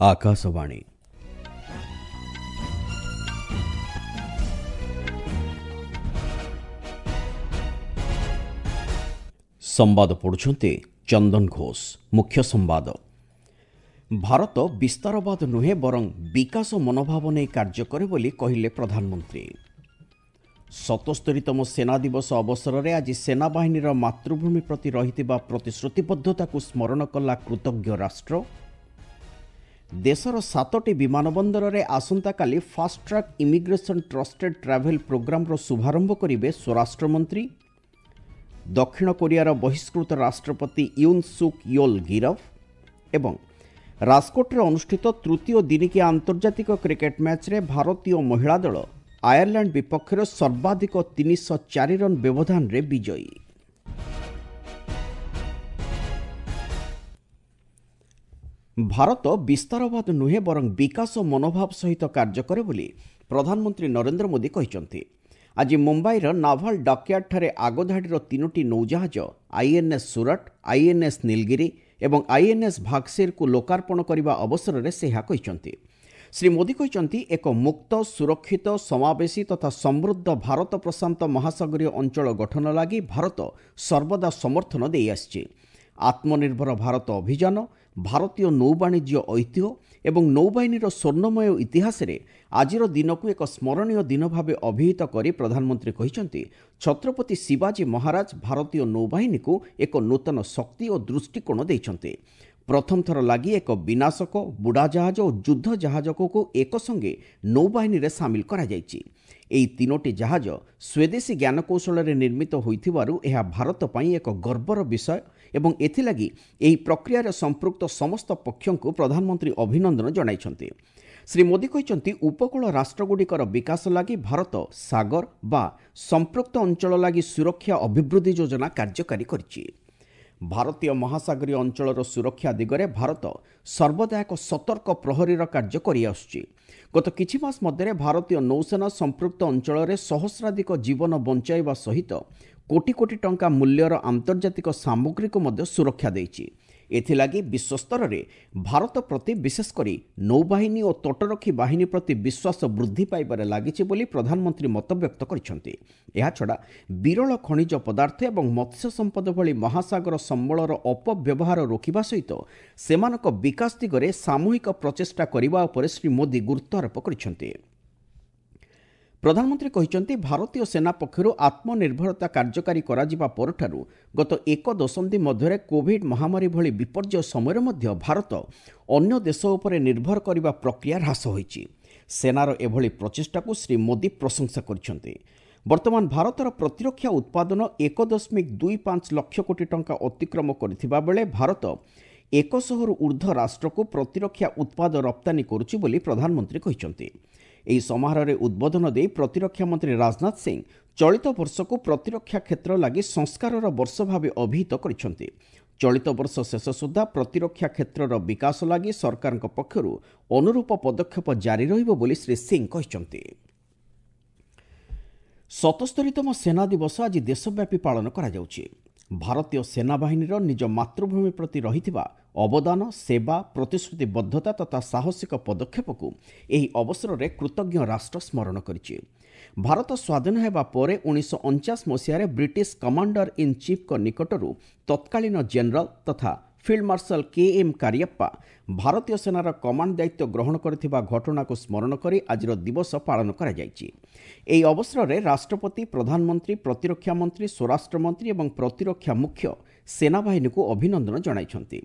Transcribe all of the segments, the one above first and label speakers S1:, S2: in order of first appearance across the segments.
S1: ଆକାଶବାଣୀ। ସମ୍ବାଦ ପଢ଼ୁଛନ୍ତି ଚନ୍ଦନ ଘୋଷ। ମୁଖ୍ୟ ସମ୍ବାଦ। ଭାରତ ବିସ୍ତାରବାଦ ନୁହେଁ ବରଂ ବିକାଶ ମନୋଭାବ ନେଇ କାର୍ଯ୍ୟ କରେ ବୋଲି କହିଲେ ପ୍ରଧାନମନ୍ତ୍ରୀ। 77ତମ ସେନା ଦିବସ ଅବସରରେ ଆଜି ସେନାବାହିନୀର ମାତୃଭୂମି ପ୍ରତି ରହିଥିବା ପ୍ରତିଶ୍ରୁତିବଦ୍ଧତାକୁ ସ୍ମରଣ କଲା କୃତଜ୍ଞ ରାଷ୍ଟ୍ର। ଦେଶର 7ଟି ବିମାନବନ୍ଦରରେ ଆସନ୍ତାକାଲି ଫାଷ୍ଟଟ୍ରାକ୍ ଇମିଗ୍ରେସନ୍ ଟ୍ରଷ୍ଟେଡ୍ ଟ୍ରାଭେଲ୍ ପ୍ରୋଗ୍ରାମର ଶୁଭାରମ୍ଭ କରିବେ ସ୍ୱରାଷ୍ଟ୍ରମନ୍ତ୍ରୀ। ଦକ୍ଷିଣ କୋରିଆର ବହିଷ୍କୃତ ରାଷ୍ଟ୍ରପତି ୟୁନ୍ ସୁକ୍ ୟୋଲ୍ ଗିରଫ। ଏବଂ ରାଜକୋଟରେ ଅନୁଷ୍ଠିତ ତୃତୀୟ ଦିନିକିଆ ଆନ୍ତର୍ଜାତିକ କ୍ରିକେଟ୍ ମ୍ୟାଚ୍ରେ ଭାରତୀୟ ମହିଳା ଦଳ ଆୟାରଲାଣ୍ଡ ବିପକ୍ଷରେ ସର୍ବାଧିକ 304 ରନ୍ ବ୍ୟବଧାନରେ ବିଜୟୀ। ଭାରତ ବିସ୍ତାରବାଦ ନୁହେଁ ବରଂ ବିକାଶ ମନୋଭାବ ସହିତ କାର୍ଯ୍ୟ କରେ ବୋଲି ପ୍ରଧାନମନ୍ତ୍ରୀ ନରେନ୍ଦ୍ର ମୋଦି କହିଛନ୍ତି। ଆଜି ମୁମ୍ବାଇର ନାଭାଲ ଡକୟାର୍ଡଠାରେ ଆଗଧାଡ଼ିର 3ଟି ନୌଜାହାଜ ଆଇଏନ୍ଏସ୍ ସୁରଟ, ଆଇଏନ୍ଏସ୍ ନୀଲଗିରି ଏବଂ ଆଇଏନ୍ଏସ୍ ଭାଗସିରକୁ ଲୋକାର୍ପଣ କରିବା ଅବସରରେ ସେ ଏହା କହିଛନ୍ତି। ଶ୍ରୀ ମୋଦି କହିଛନ୍ତି, ଏକ ମୁକ୍ତ, ସୁରକ୍ଷିତ, ସମାବେଶୀ ତଥା ସମୃଦ୍ଧ ଭାରତ ପ୍ରଶାନ୍ତ ମହାସାଗରୀୟ ଅଞ୍ଚଳ ଗଠନ ଲାଗି ଭାରତ ସର୍ବଦା ସମର୍ଥନ ଦେଇଆସିଛି। ଆତ୍ମନିର୍ଭର ଭାରତ ଅଭିଯାନ, ଭାରତୀୟ ନୌବାଣିଜ୍ୟ ଐତିହ୍ୟ ଏବଂ ନୌବାହିନୀର ସ୍ୱର୍ଣ୍ଣମୟ ଇତିହାସରେ ଆଜିର ଦିନକୁ ଏକ ସ୍ମରଣୀୟ ଦିନ ଭାବେ ଅଭିହିତ କରି ପ୍ରଧାନମନ୍ତ୍ରୀ କହିଛନ୍ତି, ଛତ୍ରପତି ଶିବାଜୀ ମହାରାଜ ଭାରତୀୟ ନୌବାହିନୀକୁ ଏକ ନୂତନ ଶକ୍ତି ଓ ଦୃଷ୍ଟିକୋଣ ଦେଇଛନ୍ତି। ପ୍ରଥମ ଥର ଲାଗି ଏକ ବିନାଶକ ବୁଡ଼ାଜାହାଜ ଓ ଯୁଦ୍ଧ ଜାହାଜକୁ ଏକସଙ୍ଗେ ନୌବାହିନୀରେ ସାମିଲ କରାଯାଇଛି। ଏହି 3ଟି ଜାହାଜ ସ୍ୱଦେଶୀ ଜ୍ଞାନକୌଶଳରେ ନିର୍ମିତ ହୋଇଥିବାରୁ ଏହା ଭାରତ ପାଇଁ ଏକ ଗର୍ବର ବିଷୟ ଏବଂ ଏଥିଲାଗି ଏହି ପ୍ରକ୍ରିୟାରେ ସମ୍ପୃକ୍ତ ସମସ୍ତ ପକ୍ଷଙ୍କୁ ପ୍ରଧାନମନ୍ତ୍ରୀ ଅଭିନନ୍ଦନ ଜଣାଇଛନ୍ତି। ଶ୍ରୀ ମୋଦି କହିଛନ୍ତି, ଉପକୂଳ ରାଷ୍ଟ୍ରଗୁଡ଼ିକର ବିକାଶ ଲାଗି ଭାରତ ସାଗର ବା ସମ୍ପୃକ୍ତ ଅଞ୍ଚଳ ଲାଗି ସୁରକ୍ଷା ଅଭିବୃଦ୍ଧି ଯୋଜନା କାର୍ଯ୍ୟକାରୀ କରିଛି। ଭାରତୀୟ ମହାସାଗରୀୟ ଅଞ୍ଚଳର ସୁରକ୍ଷା ଦିଗରେ ଭାରତ ସର୍ବଦା ଏକ ସତର୍କ ପ୍ରହରୀର କାର୍ଯ୍ୟ କରିଆସୁଛି। ଗତ କିଛି ମାସ ମଧ୍ୟରେ ଭାରତୀୟ ନୌସେନା ସମ୍ପୃକ୍ତ ଅଞ୍ଚଳରେ ସହସ୍ରାଧିକ ଜୀବନ ବଞ୍ଚାଇବା ସହିତ କୋଟି କୋଟି ଟଙ୍କା ମୂଲ୍ୟର ଆନ୍ତର୍ଜାତିକ ସାମଗ୍ରୀକୁ ମଧ୍ୟ ସୁରକ୍ଷା ଦେଇଛି। ଏଥିଲାଗି ବିଶ୍ୱସ୍ତରରେ ଭାରତ ପ୍ରତି ବିଶେଷ କରି ନୌବାହିନୀ ଓ ତଟରକ୍ଷୀ ବାହିନୀ ପ୍ରତି ବିଶ୍ୱାସ ବୃଦ୍ଧି ପାଇବାରେ ଲାଗିଛି ବୋଲି ପ୍ରଧାନମନ୍ତ୍ରୀ ମତବ୍ୟକ୍ତ କରିଛନ୍ତି। ଏହାଛଡ଼ା ବିରଳ ଖଣିଜ ପଦାର୍ଥ ଏବଂ ମତ୍ସ୍ୟ ସମ୍ପଦ ଭଳି ମହାସାଗର ସମ୍ବଳର ଅପବ୍ୟବହାର ରୋକିବା ସହିତ ସେମାନଙ୍କ ବିକାଶ ଦିଗରେ ସାମୂହିକ ପ୍ରଚେଷ୍ଟା କରିବା ଉପରେ ଶ୍ରୀ ମୋଦି ଗୁରୁତ୍ୱାରୋପ କରିଛନ୍ତି। ପ୍ରଧାନମନ୍ତ୍ରୀ କହିଛନ୍ତି, ଭାରତୀୟ ସେନା ପକ୍ଷରୁ ଆତ୍ମନିର୍ଭରତା କାର୍ଯ୍ୟକାରୀ କରାଯିବା ପରଠାରୁ ଗତ ଏକ ଦଶନ୍ଧି ମଧ୍ୟରେ କୋଭିଡ୍ ମହାମାରୀ ଭଳି ବିପର୍ଯ୍ୟୟ ସମୟରେ ମଧ୍ୟ ଭାରତ ଅନ୍ୟ ଦେଶ ଉପରେ ନିର୍ଭର କରିବା ପ୍ରକ୍ରିୟା ହ୍ରାସ ହୋଇଛି। ସେନାର ଏଭଳି ପ୍ରଚେଷ୍ଟାକୁ ଶ୍ରୀ ମୋଦି ପ୍ରଶଂସା କରିଛନ୍ତି। ବର୍ତ୍ତମାନ ଭାରତର ପ୍ରତିରକ୍ଷା ଉତ୍ପାଦନ 1.25 ଲକ୍ଷ କୋଟି ଟଙ୍କା ଅତିକ୍ରମ କରିଥିବା ବେଳେ ଭାରତ 100ରୁ ଉର୍ଦ୍ଧ୍ୱ ରାଷ୍ଟ୍ରକୁ ପ୍ରତିରକ୍ଷା ଉତ୍ପାଦ ରପ୍ତାନୀ କରୁଛି ବୋଲି ପ୍ରଧାନମନ୍ତ୍ରୀ କହିଛନ୍ତି। ଏହି ସମାରୋହରେ ଉଦ୍ବୋଧନ ଦେଇ ପ୍ରତିରକ୍ଷା ମନ୍ତ୍ରୀ ରାଜନାଥ ସିଂ ଚଳିତ ବର୍ଷକୁ ପ୍ରତିରକ୍ଷା କ୍ଷେତ୍ର ଲାଗି ସଂସ୍କାରର ବର୍ଷ ଭାବେ ଅଭିହିତ କରିଛନ୍ତି। ଚଳିତ ବର୍ଷ ଶେଷ ସୁଦ୍ଧା ପ୍ରତିରକ୍ଷା କ୍ଷେତ୍ରର ବିକାଶ ଲାଗି ସରକାରଙ୍କ ପକ୍ଷରୁ ଅନୁରୂପ ପଦକ୍ଷେପ ଜାରି ରହିବ ବୋଲି ଶ୍ରୀ ସିଂ କହିଛନ୍ତି। 77ତମ ସେନା ଦିବସ ଆଜି ଦେଶବ୍ୟାପୀ ପାଳନ କରାଯାଉଛି। ଭାରତୀୟ ସେନାବାହିନୀର ନିଜ ମାତୃଭୂମି ପ୍ରତି ରହିଥିବା ଅବଦାନ, ସେବା, ପ୍ରତିଶ୍ରୁତିବଦ୍ଧତା ତଥା ସାହସିକ ପଦକ୍ଷେପକୁ ଏହି ଅବସରରେ କୃତଜ୍ଞ ରାଷ୍ଟ୍ର ସ୍ମରଣ କରିଛି। ଭାରତ ସ୍ୱାଧୀନ ହେବା ପରେ 1949 ମସିହାରେ ବ୍ରିଟିଶ କମାଣ୍ଡର ଇନ୍ ଚିଫ୍ଙ୍କ ନିକଟରୁ ତତ୍କାଳୀନ ଜେନେରାଲ ତଥା ଫିଲ୍ଡ ମାର୍ଶାଲ କେ.ଏମ୍. କାରିୟପ୍ପା ଭାରତୀୟ ସେନାର କମାଣ୍ଡ ଦାୟିତ୍ୱ ଗ୍ରହଣ କରିଥିବା ଘଟଣାକୁ ସ୍ମରଣ କରି ଆଜିର ଦିବସ ପାଳନ କରାଯାଇଛି। ଏହି ଅବସରରେ ରାଷ୍ଟ୍ରପତି, ପ୍ରଧାନମନ୍ତ୍ରୀ, ପ୍ରତିରକ୍ଷା ମନ୍ତ୍ରୀ, ସ୍ୱରାଷ୍ଟ୍ରମନ୍ତ୍ରୀ ଏବଂ ପ୍ରତିରକ୍ଷା ମୁଖ୍ୟ ସେନାବାହିନୀକୁ ଅଭିନନ୍ଦନ ଜଣାଇଛନ୍ତି।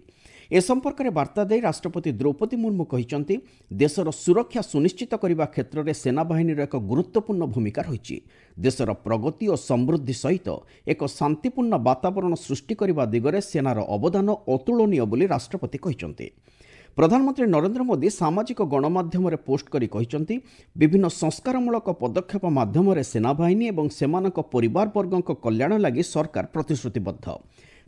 S1: ଏ ସମ୍ପର୍କରେ ବାର୍ତ୍ତା ଦେଇ ରାଷ୍ଟ୍ରପତି ଦ୍ରୌପଦୀ ମୁର୍ମୁ କହିଛନ୍ତି, ଦେଶର ସୁରକ୍ଷା ସୁନିଶ୍ଚିତ କରିବା କ୍ଷେତ୍ରରେ ସେନାବାହିନୀର ଏକ ଗୁରୁତ୍ୱପୂର୍ଣ୍ଣ ଭୂମିକା ରହିଛି। ଦେଶର ପ୍ରଗତି ଓ ସମୃଦ୍ଧି ସହିତ ଏକ ଶାନ୍ତିପୂର୍ଣ୍ଣ ବାତାବରଣ ସୃଷ୍ଟି କରିବା ଦିଗରେ ସେନାର ଅବଦାନ ଅତୁଳନୀୟ ବୋଲି ରାଷ୍ଟ୍ରପତି କହିଛନ୍ତି। ପ୍ରଧାନମନ୍ତ୍ରୀ ନରେନ୍ଦ୍ର ମୋଦି ସାମାଜିକ ଗଣମାଧ୍ୟମରେ ପୋଷ୍ଟ କରି କହିଛନ୍ତି, ବିଭିନ୍ନ ସଂସ୍କାରମୂଳକ ପଦକ୍ଷେପ ମାଧ୍ୟମରେ ସେନାବାହିନୀ ଏବଂ ସେମାନଙ୍କ ପରିବାରବର୍ଗଙ୍କ କଲ୍ୟାଣ ଲାଗି ସରକାର ପ୍ରତିଶ୍ରୁତିବଦ୍ଧ।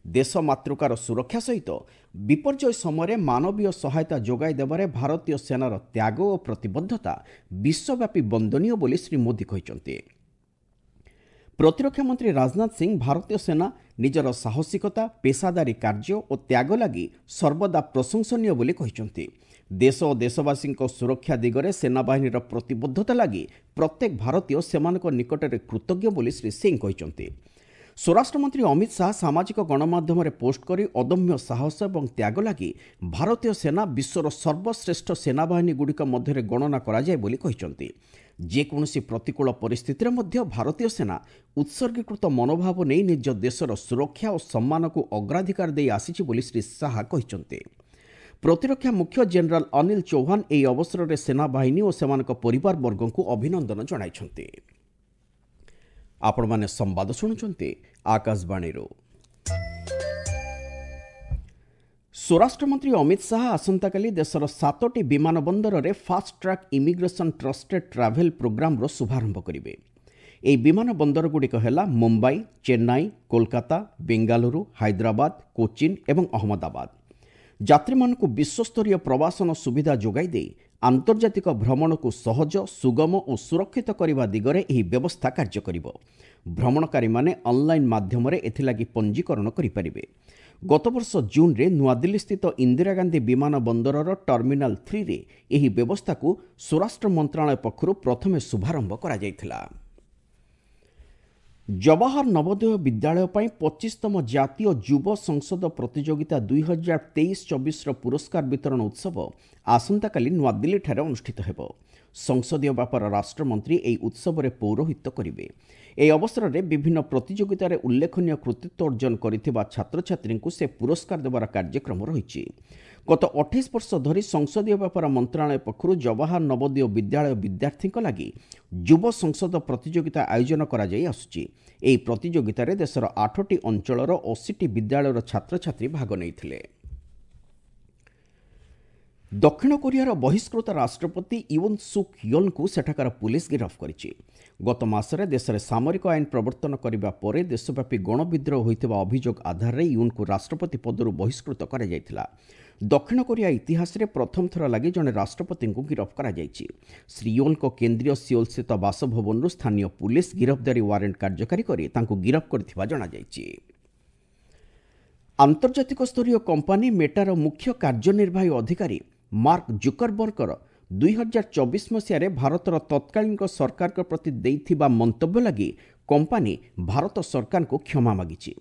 S1: ଦେଶ ମାତୃକାର ସୁରକ୍ଷା ସହିତ ବିପର୍ଯ୍ୟୟ ସମୟରେ ମାନବୀୟ ସହାୟତା ଯୋଗାଇ ଦେବାରେ ଭାରତୀୟ ସେନାର ତ୍ୟାଗ ଓ ପ୍ରତିବଦ୍ଧତା ବିଶ୍ୱବ୍ୟାପୀ ବନ୍ଦନୀୟ ବୋଲି ଶ୍ରୀ ମୋଦି କହିଛନ୍ତି। ପ୍ରତିରକ୍ଷା ମନ୍ତ୍ରୀ ରାଜନାଥ ସିଂ ଭାରତୀୟ ସେନା ନିଜର ସାହସିକତା, ପେସାଦାରୀ କାର୍ଯ୍ୟ ଓ ତ୍ୟାଗ ଲାଗି ସର୍ବଦା ପ୍ରଶଂସନୀୟ ବୋଲି କହିଛନ୍ତି। ଦେଶ ଓ ଦେଶବାସୀଙ୍କ ସୁରକ୍ଷା ଦିଗରେ ସେନାବାହିନୀର ପ୍ରତିବଦ୍ଧତା ଲାଗି ପ୍ରତ୍ୟେକ ଭାରତୀୟ ସେମାନଙ୍କ ନିକଟରେ କୃତଜ୍ଞ ବୋଲି ଶ୍ରୀ ସିଂ କହିଛନ୍ତି। ସ୍ୱରାଷ୍ଟ୍ରମନ୍ତ୍ରୀ ଅମିତ ଶାହା ସାମାଜିକ ଗଣମାଧ୍ୟମରେ ପୋଷ୍ଟ କରି ଅଦମ୍ୟ ସାହସ ଏବଂ ତ୍ୟାଗ ଲାଗି ଭାରତୀୟ ସେନା ବିଶ୍ୱର ସର୍ବଶ୍ରେଷ୍ଠ ସେନାବାହିନୀଗୁଡ଼ିକ ମଧ୍ୟରେ ଗଣନା କରାଯାଏ ବୋଲି କହିଛନ୍ତି। ଯେକୌଣସି ପ୍ରତିକୂଳ ପରିସ୍ଥିତିରେ ମଧ୍ୟ ଭାରତୀୟ ସେନା ଉତ୍ସର୍ଗୀକୃତ ମନୋଭାବ ନେଇ ନିଜ ଦେଶର ସୁରକ୍ଷା ଓ ସମ୍ମାନକୁ ଅଗ୍ରାଧିକାର ଦେଇ ଆସିଛି ବୋଲି ଶ୍ରୀ ଶାହା କହିଛନ୍ତି। ପ୍ରତିରକ୍ଷା ମୁଖ୍ୟ ଜେନେରାଲ ଅନିଲ ଚୌହାନ ଏହି ଅବସରରେ ସେନାବାହିନୀ ଓ ସେମାନଙ୍କ ପରିବାରବର୍ଗଙ୍କୁ ଅଭିନନ୍ଦନ ଜଣାଇଛନ୍ତି। ଆପଣମାନେ ସମ୍ବାଦ ଶୁଣୁଛନ୍ତି ଆକାଶବାଣୀରୁ। ସ୍ୱରାଷ୍ଟ୍ରମନ୍ତ୍ରୀ ଅମିତ ଶାହା ଆସନ୍ତାକାଲି ଦେଶର 7ଟି ବିମାନ ବନ୍ଦରରେ fast track immigration trusted travel ପ୍ରୋଗ୍ରାମର ଶୁଭାରମ୍ଭ କରିବେ। ଏହି ବିମାନ ବନ୍ଦରଗୁଡ଼ିକ ହେଲା ମୁମ୍ବାଇ, ଚେନ୍ନାଇ, କୋଲକାତା, ବେଙ୍ଗାଲୁରୁ, ହାଇଦ୍ରାବାଦ, କୋଚିନ୍ ଏବଂ ଅହମ୍ମଦାବାଦ। ଯାତ୍ରୀମାନଙ୍କୁ ବିଶ୍ୱସ୍ତରୀୟ ପ୍ରବାସନ ସୁବିଧା ଯୋଗାଇ ଦେଇ ଆନ୍ତର୍ଜାତିକ ଭ୍ରମଣକୁ ସହଜ, ସୁଗମ ଓ ସୁରକ୍ଷିତ କରିବା ଦିଗରେ ଏହି ବ୍ୟବସ୍ଥା କାର୍ଯ୍ୟ କରିବ। ଭ୍ରମଣକାରୀମାନେ ଅନ୍ଲାଇନ୍ ମାଧ୍ୟମରେ ଏଥିଲାଗି ପଞ୍ଜୀକରଣ କରିପାରିବେ। ଗତବର୍ଷ ଜୁନ୍ରେ ନୂଆଦିଲ୍ଲୀସ୍ଥିତ ଇନ୍ଦିରା ଗାନ୍ଧୀ ବିମାନ ବନ୍ଦରର ଟର୍ମିନାଲ 3ରେ ଏହି ବ୍ୟବସ୍ଥାକୁ ସ୍ୱରାଷ୍ଟ୍ର ମନ୍ତ୍ରଣାଳୟ ପକ୍ଷରୁ ପ୍ରଥମେ ଶୁଭାରମ୍ଭ କରାଯାଇଥିଲା। ଜବାହର ନବୋଦୟ ବିଦ୍ୟାଳୟ ପାଇଁ 25ତମ ଜାତୀୟ ଯୁବ ସଂସଦ ପ୍ରତିଯୋଗିତା 2023-24ର ପୁରସ୍କାର ବିତରଣ ଉତ୍ସବ ଆସନ୍ତାକାଲି ନୂଆଦିଲ୍ଲୀଠାରେ ଅନୁଷ୍ଠିତ ହେବ। ସଂସଦୀୟ ବ୍ୟାପାର ରାଷ୍ଟ୍ରମନ୍ତ୍ରୀ ଏହି ଉତ୍ସବରେ ପୌରୋହିତ୍ୟ କରିବେ। ଏହି ଅବସରରେ ବିଭିନ୍ନ ପ୍ରତିଯୋଗିତାରେ ଉଲ୍ଲେଖନୀୟ କୃତିତ୍ୱ ଅର୍ଜନ କରିଥିବା ଛାତ୍ରଛାତ୍ରୀଙ୍କୁ ସେ ପୁରସ୍କାର ଦେବାର କାର୍ଯ୍ୟକ୍ରମ ରହିଛି। ଗତ 28 ବର୍ଷ ଧରି ସଂସଦୀୟ ବ୍ୟାପାର ମନ୍ତ୍ରଣାଳୟ ପକ୍ଷରୁ ଜବାହର ନବୋଦୟ ବିଦ୍ୟାଳୟ ବିଦ୍ୟାର୍ଥୀଙ୍କ ଲାଗି ଯୁବ ସଂସଦ ପ୍ରତିଯୋଗିତା ଆୟୋଜନ କରାଯାଇ ଆସୁଛି। ଏହି ପ୍ରତିଯୋଗିତାରେ ଦେଶର 8ଟି ଅଞ୍ଚଳର 80ଟି ବିଦ୍ୟାଳୟର ଛାତ୍ରଛାତ୍ରୀ ଭାଗ ନେଇଥିଲେ। ଦକ୍ଷିଣ କୋରିଆର ବହିଷ୍କୃତ ରାଷ୍ଟ୍ରପତି ୟୁନ୍ ସୁକ୍ ୟୋଲ୍ଙ୍କୁ ସେଠାକାର ପୁଲିସ ଗିରଫ କରିଛି। ଗତ ମାସରେ ଦେଶରେ ସାମରିକ ଆଇନ ପ୍ରବର୍ତ୍ତନ କରିବା ପରେ ଦେଶବ୍ୟାପୀ ଗଣବିଦ୍ରୋହ ହୋଇଥିବା ଅଭିଯୋଗ ଆଧାରରେ ୟୁନ୍ଙ୍କୁ ରାଷ୍ଟ୍ରପତି ପଦରୁ ବହିଷ୍କୃତ କରାଯାଇଥିଲା। ଦକ୍ଷିଣ କୋରିଆ ଇତିହାସରେ ପ୍ରଥମ ଥର ଲାଗି ଜଣେ ରାଷ୍ଟ୍ରପତିଙ୍କୁ ଗିରଫ କରାଯାଇଛି। ଶ୍ରୀ ୟୋଲ୍ଙ୍କ କେନ୍ଦ୍ରୀୟ ସିଓଲସ୍ଥିତ ବାସଭବନରୁ ସ୍ଥାନୀୟ ପୁଲିସ ଗିରଫଦାରୀ ୱାରେଣ୍ଟ କାର୍ଯ୍ୟକାରୀ କରି ତାଙ୍କୁ ଗିରଫ କରିଥିବା ଜଣାଯାଇଛି। ଆନ୍ତର୍ଜାତିକ ସ୍ତରୀୟ କମ୍ପାନୀ ମେଟାର ମୁଖ୍ୟ କାର୍ଯ୍ୟନିର୍ବାହୀ ଅଧିକାରୀ ମାର୍କ ଜୁକରବର୍ଗର 2024 ମସିହାରେ ଭାରତର ତତ୍କାଳୀନ ସରକାରଙ୍କ ପ୍ରତି ଦେଇଥିବା ମନ୍ତବ୍ୟ ଲାଗି କମ୍ପାନୀ ଭାରତ ସରକାରଙ୍କୁ କ୍ଷମା ମାଗିଛି।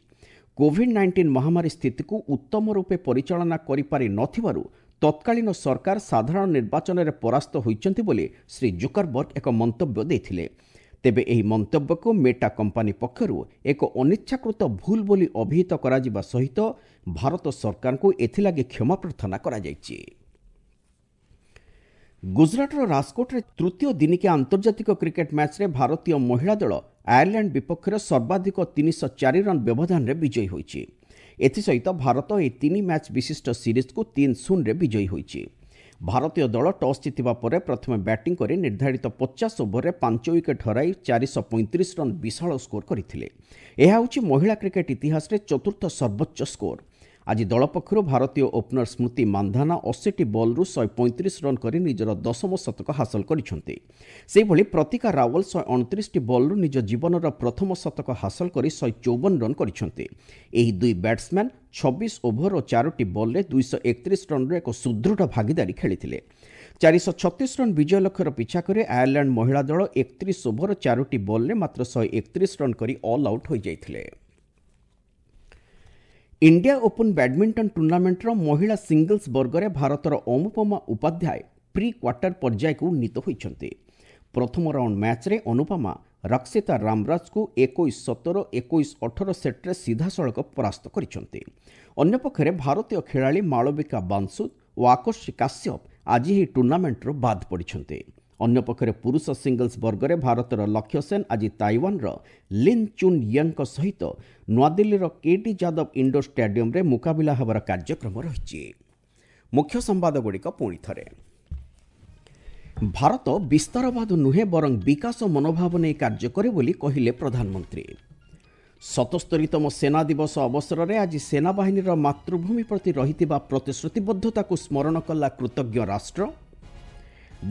S1: କୋଭିଡ୍-19 ମହାମାରୀ ସ୍ଥିତିକୁ ଉତ୍ତମ ରୂପେ ପରିଚାଳନା କରିପାରି ନଥିବାରୁ ତତ୍କାଳୀନ ସରକାର ସାଧାରଣ ନିର୍ବାଚନରେ ପରାସ୍ତ ହୋଇଛନ୍ତି ବୋଲି ଶ୍ରୀ ଜୁକରବର୍ଗ ଏକ ମନ୍ତବ୍ୟ ଦେଇଥିଲେ। ତେବେ ଏହି ମନ୍ତବ୍ୟକୁ ମେଟା କମ୍ପାନୀ ପକ୍ଷରୁ ଏକ ଅନିଚ୍ଛାକୃତ ଭୁଲ ବୋଲି ଅଭିହିତ କରାଯିବା ସହିତ ଭାରତ ସରକାରଙ୍କୁ ଏଥିଲାଗି କ୍ଷମା ପ୍ରାର୍ଥନା କରାଯାଇଛି। ଗୁଜରାଟର ରାଜକୋଟରେ ତୃତୀୟ ଦିନିକିଆ ଆନ୍ତର୍ଜାତିକ କ୍ରିକେଟ୍ ମ୍ୟାଚ୍ରେ ଭାରତୀୟ ମହିଳା ଦଳ ଆୟାରଲ୍ୟାଣ୍ଡ ବିପକ୍ଷରେ ସର୍ବାଧିକ 304 ରନ୍ ବ୍ୟବଧାନରେ ବିଜୟୀ ହୋଇଛି। ଏଥିସହିତ ଭାରତ ଏହି 3 ମ୍ୟାଚ୍ ବିଶିଷ୍ଟ ସିରିଜ୍କୁ 3-0ରେ ବିଜୟୀ ହୋଇଛି। ଭାରତୀୟ ଦଳ ଟସ୍ ଜିତିବା ପରେ ପ୍ରଥମେ ବ୍ୟାଟିଂ କରି ନିର୍ଦ୍ଧାରିତ 50 ଓଭରରେ 5 ୱିକେଟ୍ ହରାଇ 435 ରନ୍ ବିଶାଳ ସ୍କୋର କରିଥିଲେ। ଏହା ହେଉଛି ମହିଳା କ୍ରିକେଟ୍ ଇତିହାସରେ ଚତୁର୍ଥ ସର୍ବୋଚ୍ଚ ସ୍କୋର। ଆଜି ଦଳ ପକ୍ଷରୁ ଭାରତୀୟ ଓପନର ସ୍ମୃତି ମାନ୍ଧାନା 80ଟି ବଲ୍ରୁ 135 ରନ୍ କରି ନିଜର ଦଶମ ଶତକ ହାସଲ କରିଛନ୍ତି। ସେହିଭଳି ପ୍ରତିକା ରାୱଲ 129ଟି ବଲ୍ରୁ ନିଜ ଜୀବନର ପ୍ରଥମ ଶତକ ହାସଲ କରି 154 ରନ୍ କରିଛନ୍ତି। ଏହି ଦୁଇ ବ୍ୟାଟ୍ସମ୍ୟାନ୍ 26 ଓଭର ଓ 4ଟି ବଲ୍ରେ 231 ରନ୍ର ଏକ ସୁଦୃଢ଼ ଭାଗିଦାରୀ ଖେଳିଥିଲେ। 436 ରନ୍ ବିଜୟ ଲକ୍ଷ୍ୟର ପିଛା କରି ଆୟାରଲ୍ୟାଣ୍ଡ ମହିଳା ଦଳ 31 ଓଭର 4ଟି ବଲ୍ରେ ମାତ୍ର 131 ରନ୍ କରି ଅଲ୍ ଆଉଟ୍ ହୋଇଯାଇଥିଲେ। ଇଣ୍ଡିଆ ଓପନ୍ ବ୍ୟାଡମିଣ୍ଟନ ଟୁର୍ଣ୍ଣାମେଣ୍ଟର ମହିଳା ସିଙ୍ଗଲ୍ସ ବର୍ଗରେ ଭାରତର ଅନୁପମା ଉପାଧ୍ୟାୟ ପ୍ରି କ୍ୱାର୍ଟର ପର୍ଯ୍ୟାୟକୁ ଉନ୍ନୀତ ହୋଇଛନ୍ତି। ପ୍ରଥମ ରାଉଣ୍ଡ ମ୍ୟାଚ୍ରେ ଅନୁପମା ରକ୍ଷିତା ରାମରାଜଙ୍କୁ 21-17, 21-18 ସେଟ୍ରେ ସିଧାସଳଖ ପରାସ୍ତ କରିଛନ୍ତି। ଅନ୍ୟପକ୍ଷରେ ଭାରତୀୟ ଖେଳାଳି ମାଳବିକା ବାଂସୁଦ ଓ ଆକର୍ଷି କାଶ୍ୟପ ଆଜି ଏହି ଟୁର୍ଣ୍ଣାମେଣ୍ଟରୁ ବାଦ୍ ପଡ଼ିଛନ୍ତି। ଅନ୍ୟପକ୍ଷରେ ପୁରୁଷ ସିଙ୍ଗଲ୍ସ ବର୍ଗରେ ଭାରତର ଲକ୍ଷ୍ୟ ସେନ୍ ଆଜି ତାଇୱାନର ଲିନ୍ ଚୁନ୍ ୟେଙ୍କ ସହିତ ନୂଆଦିଲ୍ଲୀର କେଡି ଯାଦବ ଇଣ୍ଡୋର ଷ୍ଟାଡିୟମରେ ମୁକାବିଲା ହେବାର କାର୍ଯ୍ୟକ୍ରମ ରହିଛି। ମୁଖ୍ୟ ସମ୍ବାଦଗୁଡ଼ିକ ପୁଣି ଥରେ। ଭାରତ ବିସ୍ତାରବାଦ ନୁହେଁ ବରଂ ବିକାଶ ମନୋଭାବ ନେଇ କାର୍ଯ୍ୟ କରେ ବୋଲି କହିଲେ ପ୍ରଧାନମନ୍ତ୍ରୀ। 77ତମ ସେନା ଦିବସ ଅବସରରେ ଆଜି ସେନାବାହିନୀର ମାତୃଭୂମି ପ୍ରତି ରହିଥିବା ପ୍ରତିଶ୍ରୁତିବଦ୍ଧତାକୁ ସ୍ମରଣ କଲା କୃତଜ୍ଞ ରାଷ୍ଟ୍ର।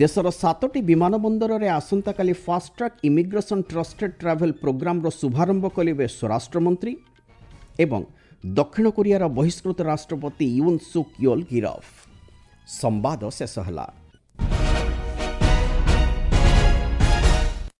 S1: ଦେଶର 7ଟି ବିମାନ ବନ୍ଦରରେ ଆସନ୍ତାକାଲି ଫାଷ୍ଟଟ୍ରାକ୍ ଇମିଗ୍ରେସନ୍ ଟ୍ରଷ୍ଟେଡ୍ ଟ୍ରାଭେଲ୍ ପ୍ରୋଗ୍ରାମର ଶୁଭାରମ୍ଭ କରିବେ ସ୍ୱରାଷ୍ଟ୍ରମନ୍ତ୍ରୀ। ଏବଂ ଦକ୍ଷିଣ କୋରିଆର ବହିଷ୍କୃତ ରାଷ୍ଟ୍ରପତି ୟୁନ୍ ସୁକ୍ ୟୋଲ୍ ଗିରଫ। ସମ୍ବାଦ ଶେଷ ହେଲା।